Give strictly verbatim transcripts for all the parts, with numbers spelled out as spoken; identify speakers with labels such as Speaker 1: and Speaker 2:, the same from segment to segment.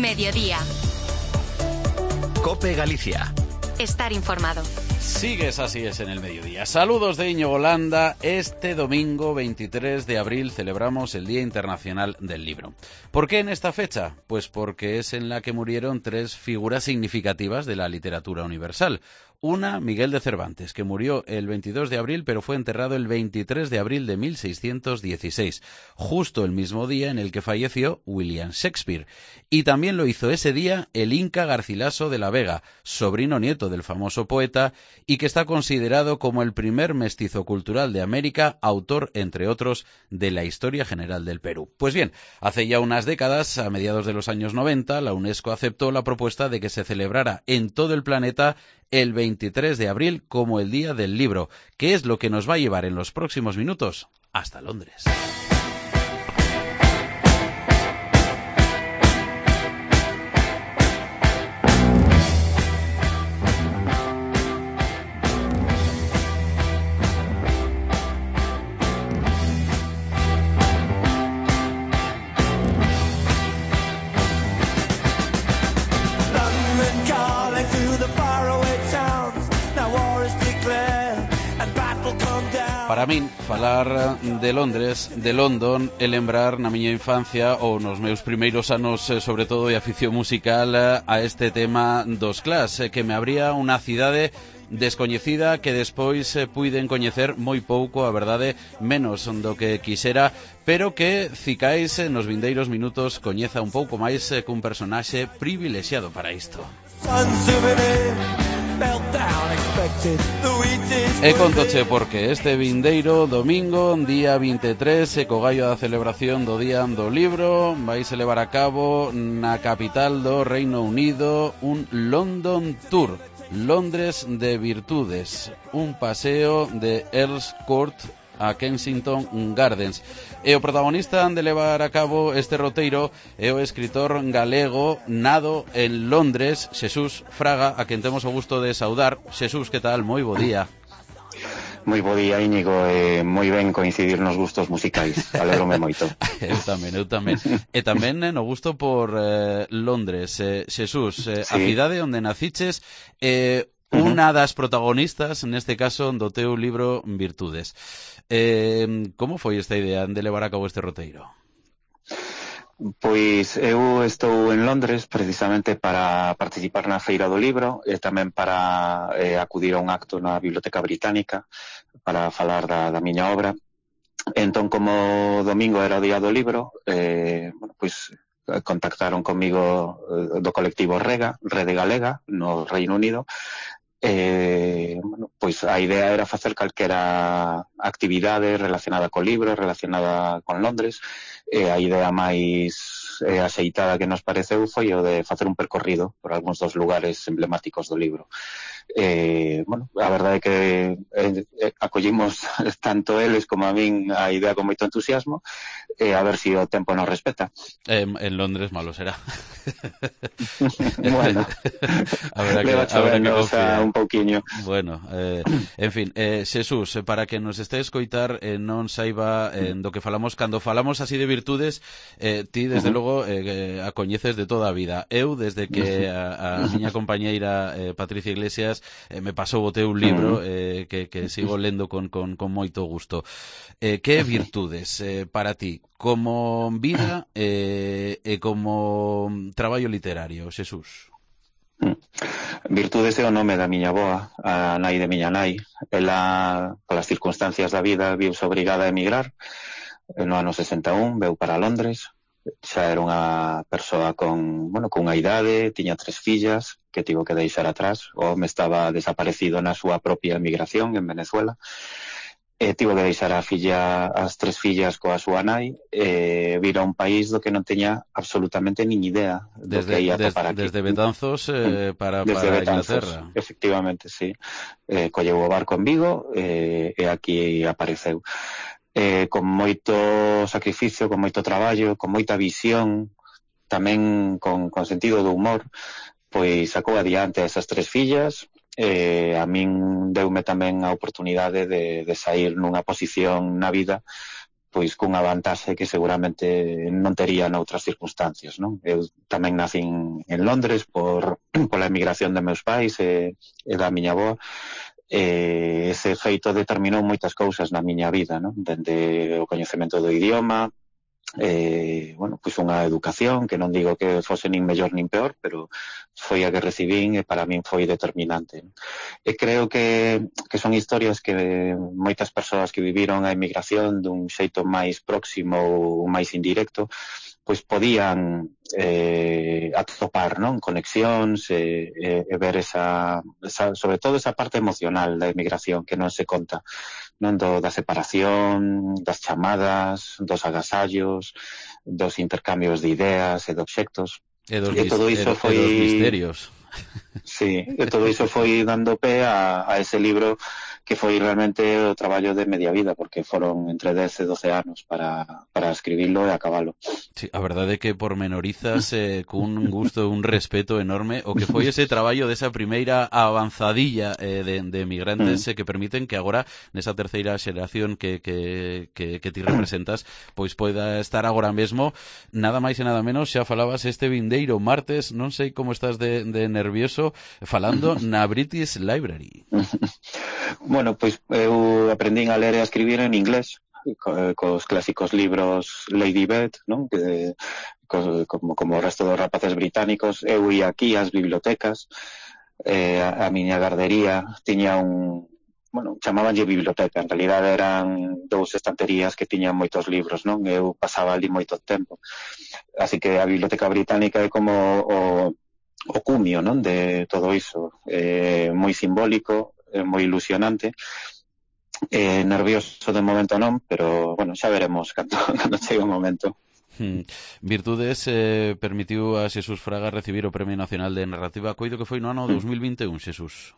Speaker 1: Mediodía.
Speaker 2: COPE Galicia.
Speaker 1: Estar informado.
Speaker 3: Sigues Así es en el mediodía. Saludos de Íñigo Landa. Este domingo veintitrés de abril celebramos el Día Internacional del Libro. ¿Por qué en esta fecha? Pues porque es en la que murieron tres figuras significativas de la literatura universal. Una, Miguel de Cervantes, que murió el veintidós de abril, pero fue enterrado el veintitrés de abril de mil seiscientos dieciséis, justo el mismo día en el que falleció William Shakespeare. Y también lo hizo ese día el Inca Garcilaso de la Vega, sobrino nieto del famoso poeta, y que está considerado como el primer mestizo cultural de América, autor, entre otros, de la historia general del Perú. Pues bien, hace ya unas décadas, a mediados de los años noventa, la UNESCO aceptó la propuesta de que se celebrara en todo el planeta el veintitrés de abril como el Día del Libro, que es lo que nos va a llevar en los próximos minutos hasta Londres. Para min, falar de Londres, de London, é lembrar na miña infancia ou nos meus primeiros anos, sobre todo de afición musical, a este tema dos Clash, que me abría unha cidade descoñecida que despois puiden coñecer moi pouco, a verdade, menos do que quixera, pero que cicais nos vindeiros minutos coñeza un pouco máis cun personaxe privilexiado para isto. E contoche porque este vindeiro domingo, día vinte e tres, e co gallo da celebración do Día do Libro, vais a levar a cabo na capital do Reino Unido un London Tour, Londres de Virtudes, un paseo de Earls Court a Kensington Gardens. E o protagonista de levar a cabo este roteiro é o escritor galego nado en Londres, Xesús Fraga, a quen temos o gusto de saudar. Xesús, que tal? Moi bo día.
Speaker 4: Moi bo día, Íñigo, e moi ben coincidir nos gustos musicais. Alégrome moito.
Speaker 3: Eu tamén, eu tamén. E tamén eh, no gusto por eh, Londres. Eh, Xesús, eh, sí. A cidade onde naciches, eh, unha das protagonistas, neste caso, do teu libro Virtudes. Eh, como foi esta idea de levar a cabo este roteiro?
Speaker 4: Pois eu estou en Londres precisamente para participar na Feira do Libro e tamén para eh, acudir a un acto na Biblioteca Británica para falar da, da miña obra. Entón, como domingo era o Día do Libro, eh, bueno, pois contactaron comigo do colectivo Rega, Rede Galega, no Reino Unido. Eh, bueno, pois a idea era facer calquera actividade relacionada co libro, relacionada con Londres, e a idea máis eh, axeitada que nos pareceu foi o de facer un percorrido por algúns dos lugares emblemáticos do libro. Eh, bueno, a verdade é que eh, acollimos tanto eles como a min a idea con moito entusiasmo, e eh, a ver se si o tempo nos respeta.
Speaker 3: Eh, en Londres malo será.
Speaker 4: Bueno,
Speaker 3: habrá que, habrá que confiar
Speaker 4: un pouquiño.
Speaker 3: Bueno, eh, en fin, eh, Xesús, para que nos este a escoitar e eh, non saiba eh, do que falamos, cando falamos así de virtudes, eh, ti desde uh-huh. logo eh, a coñeces de toda a vida. Eu, desde que a, a miña compañeira eh, Patricia Iglesias eh, me pasou o teu libro, uh-huh. eh, que, que sigo lendo con, con, con moito gusto. Eh, que virtudes eh, para ti, como vida eh, e como traballo literario, Xesús?
Speaker 4: Virtudes é o nome da miña avoa, a nai de miña nai. Ela, polas circunstancias da vida, viuse obrigada a emigrar. No ano sesenta e un veu para Londres. Xa era unha persoa con, bueno, con unha idade, tiña tres fillas que tivo que deixar atrás. O home estaba desaparecido na súa propia emigración en Venezuela. E tivo que deixar a filla, as tres fillas coa súa nai, e vir a un país do que non teña absolutamente nin idea do
Speaker 3: desde,
Speaker 4: que ia
Speaker 3: des,
Speaker 4: topar aquí.
Speaker 3: Desde Betanzos eh, para,
Speaker 4: desde
Speaker 3: para
Speaker 4: Betanzos,
Speaker 3: Inglaterra.
Speaker 4: Efectivamente, sí. Eh, colleu o barco en Vigo eh, e aquí apareceu. Eh, con moito sacrificio, con moito traballo, con moita visión, tamén con, con sentido do humor, pois sacou adiante esas tres fillas. Eh, a min deume tamén a oportunidade de, de sair nunha posición na vida pois cunha vantaxe que seguramente non tería noutras circunstancias, non? Eu tamén nacín en Londres por pola emigración de meus pais e, e da miña avoa, e ese feito determinou moitas cousas na miña vida, non? Dende o coñecemento do idioma, eh, bueno, pois unha educación que non digo que fose nin mellor nin peor, pero foi a que recibín e para min foi determinante, non? E creo que, que son historias que moitas persoas que viviron a emigración dun xeito máis próximo ou máis indirecto pois podían eh, atopar, non? Conexións e, e, e ver esa, esa, sobre todo esa parte emocional da emigración que non se conta, non? Do, da separación, das chamadas, dos agasallos, dos intercambios de ideas e de obxectos.
Speaker 3: E dos,
Speaker 4: e todo iso
Speaker 3: e,
Speaker 4: foi...
Speaker 3: e dos misterios.
Speaker 4: Sí, e todo iso foi dando pé a, a ese libro que foi realmente o traballo de media vida, porque foron entre dez e doce anos para, para escribilo e acabalo.
Speaker 3: Sí, a verdade é que pormenorizas eh, cun gusto, un respeto enorme o que foi ese traballo desa primeira avanzadilla eh, de, de emigrantes eh, que permiten que agora nesa terceira xeración que, que, que, que ti representas pois poida estar agora mesmo nada máis e nada menos, xa falabas este vindeiro martes, non sei como estás de, de nervioso falando na British Library.
Speaker 4: Bueno, pois eu aprendín a ler e a escribir en inglés, co, cos clásicos libros Lady Bed, non? Que, co, como, como o resto dos rapaces británicos. Eu ia aquí ás bibliotecas, eh, a, a miña gardería tiña un... Bueno, chamabanlle biblioteca, en realidad eran dous estanterías que tiñan moitos libros, non? Eu pasaba ali moito tempo. Así que a Biblioteca Británica é como o, o cumio, non? De todo iso. Eh, moi simbólico, moi ilusionante, eh, nervioso de momento non, pero bueno, xa veremos cando, cando chegue o momento.
Speaker 3: Hmm. Virtudes eh, permitiu a Xesús Fraga recibir o Premio Nacional de Narrativa, coido que foi no ano dos mil vinte e un, Xesús.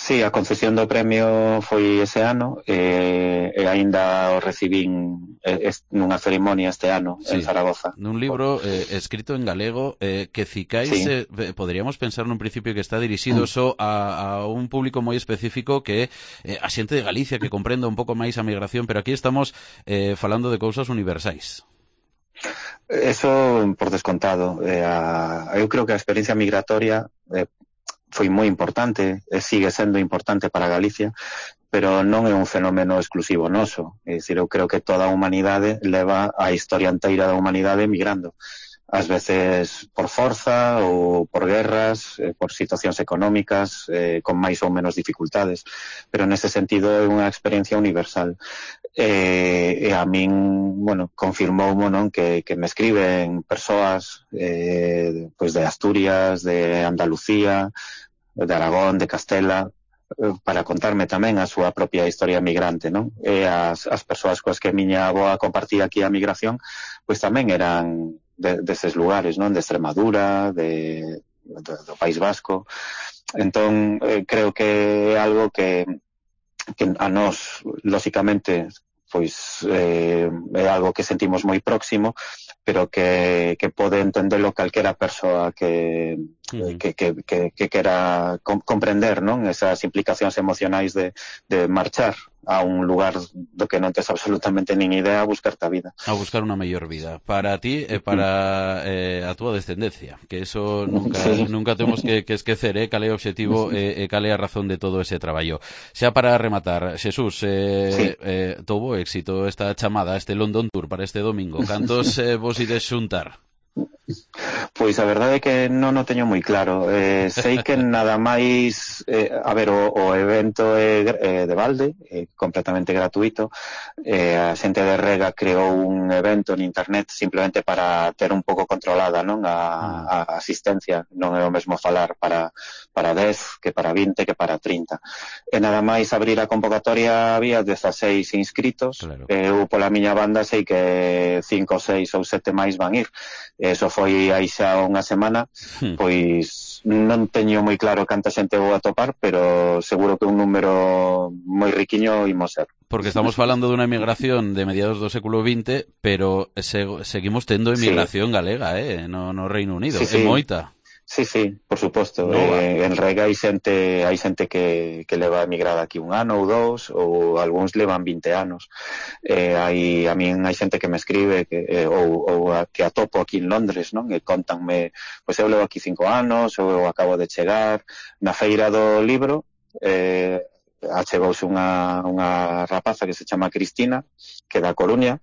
Speaker 4: Sí, a concesión do premio foi ese ano e, e aínda o recibín es, nunha cerimonia este ano sí, en Zaragoza.
Speaker 3: Nun libro eh, escrito en galego eh, que cicáis, sí. eh, poderíamos pensar nun principio que está dirixido mm. só a, a un público moi específico que é eh, a xente de Galicia que comprenda un pouco máis a migración, pero aquí estamos eh, falando de cousas universais.
Speaker 4: Eso por descontado. Eh, a, eu creo que a experiencia migratoria eh, foi moi importante, e sigue sendo importante para Galicia, pero non é un fenómeno exclusivo noso. É dicir, eu creo que toda a humanidade leva a historia inteira da humanidade migrando. Ás veces por forza ou por guerras, eh, por situacións económicas, eh, con máis ou menos dificultades. Pero nese sentido é unha experiencia universal. E, e a min, bueno, confirmou non que, que me escriben persoas eh, pois de Asturias, de Andalucía, de Aragón, de Castela, para contarme tamén a súa propia historia migrante, non? E as, as persoas coas que a miña avoa compartía aquí a migración, pois tamén eran de, deses lugares, non? De Extremadura, de, de, do País Vasco. Entón, eh, creo que é algo que, que a nós, lóxicamente, pois eh, é algo que sentimos moi próximo, pero que, que pode entendelo calquera persoa que, uh-huh. que, que, que, que quera comprender, non? Esas implicacións emocionais de, de marchar a un lugar do que non tes absolutamente nin idea a buscarte a vida.
Speaker 3: A buscar unha mellor vida para ti e para eh, a túa descendencia, que eso nunca, sí. nunca temos que, que esquecer, eh, cal é o obxectivo e eh, cal é a razón de todo ese traballo. Xa para rematar, Xesús, eh, sí. eh, touvo éxito esta chamada, este London Tour para este domingo. Cantos eh, vos ides xuntar?
Speaker 4: Pois a verdade é que non o teño moi claro. Eh, sei que nada máis, eh, a ver, o, o evento é, é de balde, é completamente gratuito. Eh, a xente de Rega creou un evento en internet simplemente para ter un pouco controlada, non, a, a asistencia. Non é o mesmo falar para para dez que para vinte que para trinta. E nada máis abrir a convocatoria había dezaseis inscritos. Claro. Eu pola miña banda sei que cinco, seis ou sete máis van ir. Eso foi aí xa unha semana, hmm. pois non teño moi claro canta xente vou atopar, pero seguro que un número moi riquiño imos ser.
Speaker 3: Porque estamos falando dunha emigración de mediados do século vinte, pero se, seguimos tendo emigración sí. galega, eh, no, no Reino Unido, sí, sí. É moita.
Speaker 4: Sí, sí, por suposto.
Speaker 3: No,
Speaker 4: eh, en Rega hai xente, hai xente que, que leva emigrada aquí un ano ou dous, ou algúns levan vinte anos. Eh, hai, a min hai xente que me escribe que, eh, ou, ou a, que atopo aquí en Londres, non? E contanme, pois eu levo aquí cinco anos, ou eu acabo de chegar. Na feira do libro, eh, achegouse unha, unha rapaza que se chama Cristina, que é da Coruña,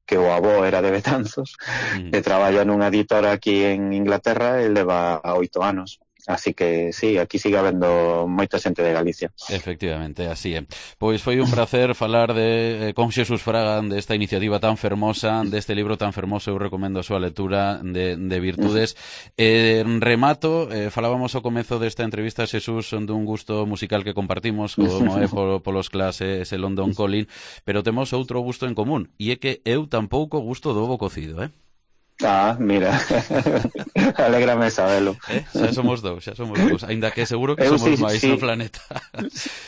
Speaker 4: que o avó era de Betanzos, mm. e traballa nunha editora aquí en Inglaterra e leva oito anos. Así que sí, aquí sigue habendo moita xente de Galicia.
Speaker 3: Efectivamente, así é. Pois foi un placer falar de, eh, con Xesús Fraga desta iniciativa tan fermosa, deste libro tan fermoso. Eu recomendo a súa lectura de, de Virtudes. Eh, remato, eh, falábamos ao comezo desta entrevista, Xesús, dun gusto musical que compartimos, como é polo, polos clases e London Calling, pero temos outro gusto en común, e é que eu tampouco gusto do ovo cocido, eh?
Speaker 4: Ah, mira, alégrame sabelo.
Speaker 3: Eh? Xa somos dous, xa somos dous, ainda que seguro que eu somos sí, máis sí. no planeta.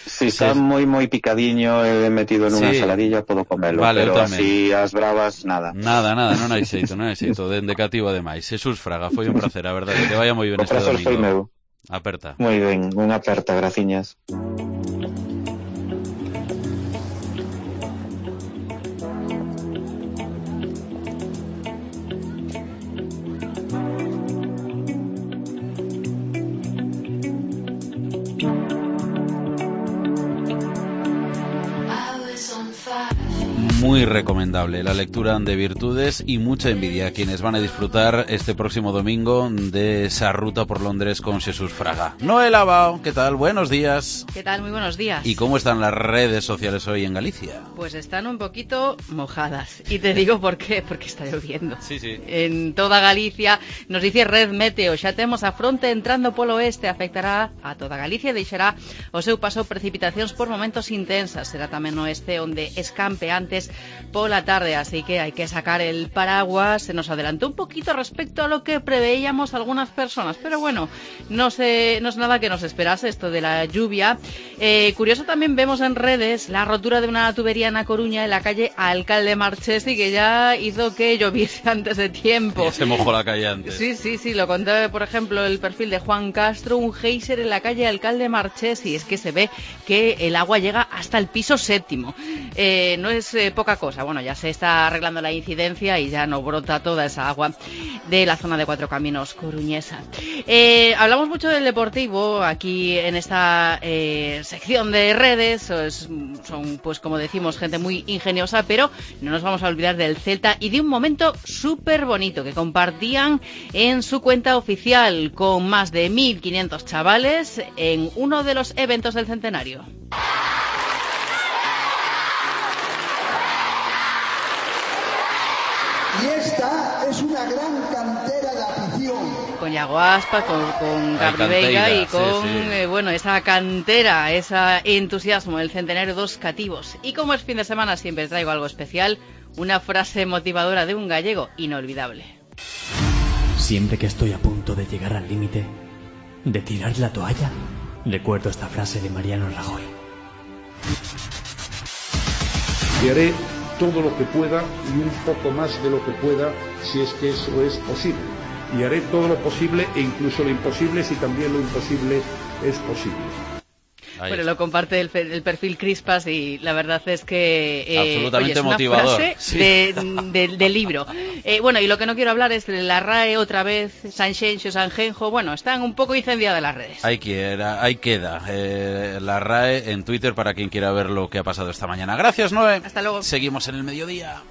Speaker 4: Si está moi moi picadiño e metido nunha sí. saladilla, podo comelo, vale, pero así as bravas, nada.
Speaker 3: Nada, nada, non hai xeito, non hai xeito, dende cativo ademais. Xesús Fraga, foi un placer, a verdade, que vaya moi ben este domingo.
Speaker 4: Foi meu.
Speaker 3: Aperta.
Speaker 4: Moi ben, unha aperta, graciñas.
Speaker 3: Muy recomendable la lectura de Virtudes y mucha envidia a quienes van a disfrutar este próximo domingo de esa ruta por Londres con Xesús Fraga. Noel Abao, ¿qué tal? Buenos días.
Speaker 1: ¿Qué tal? Muy buenos días.
Speaker 3: ¿Y cómo están las redes sociales hoy en Galicia?
Speaker 1: Pues están un poquito mojadas. Y te digo por qué, porque está lloviendo.
Speaker 3: Sí, sí.
Speaker 1: En toda Galicia, nos dice Red Meteo, xa temos a fronte entrando polo oeste, afectará a toda Galicia e deixará o seu paso precipitacións por momentos intensas. Será tamén no oeste onde escampe antes pola tarde, así que hay que sacar el paraguas. Se nos adelantó un poquito respecto a lo que preveíamos algunas personas, pero bueno, no sé, no es nada que nos esperase esto de la lluvia. Eh, curioso también vemos en redes la rotura de una tubería en A Coruña en la calle Alcalde Marchesi, que ya hizo que lloviese antes de tiempo.
Speaker 3: Ya se mojó la calle antes.
Speaker 1: Sí, sí, sí, lo contaba por ejemplo el perfil de Juan Castro, un geyser en la calle Alcalde Marchesi. Es que se ve que el agua llega hasta el piso séptimo. Eh, no es eh, poca cosa. Bueno, ya se está arreglando la incidencia y ya no brota toda esa agua de la zona de Cuatro Caminos coruñesa. Eh, hablamos mucho del deportivo aquí en esta eh, sección de redes. Es, son, pues como decimos, gente muy ingeniosa, pero no nos vamos a olvidar del Celta y de un momento súper bonito que compartían en su cuenta oficial con más de mil quinientos chavales en uno de los eventos del centenario.
Speaker 2: Y esta es una gran cantera de afición.
Speaker 1: Con Iago Aspas, con, con Gabri Veiga y con, sí, sí. Eh, bueno, esa cantera, ese entusiasmo, el centenario dos cativos. Y como es fin de semana, siempre traigo algo especial, una frase motivadora de un gallego inolvidable.
Speaker 5: Siempre que estoy a punto de llegar al límite, de tirar la toalla, recuerdo esta frase de Mariano Rajoy.
Speaker 6: Y haré todo lo que pueda y un poco más de lo que pueda si es que eso es posible. Y haré todo lo posible e incluso lo imposible si también lo imposible es posible.
Speaker 1: Ahí bueno, está. Lo comparte el, el perfil Crispas y la verdad es que
Speaker 3: eh, absolutamente
Speaker 1: oye, es una
Speaker 3: motivador
Speaker 1: frase
Speaker 3: sí.
Speaker 1: de, de, del libro. Eh, bueno, y lo que no quiero hablar es de la R A E otra vez, Sanxenxo, Sanjenjo. Bueno, están un poco incendiadas las redes.
Speaker 3: Ahí queda, ahí queda eh, la R A E en Twitter para quien quiera ver lo que ha pasado esta mañana. Gracias, Noé.
Speaker 1: Hasta luego.
Speaker 3: Seguimos en el mediodía.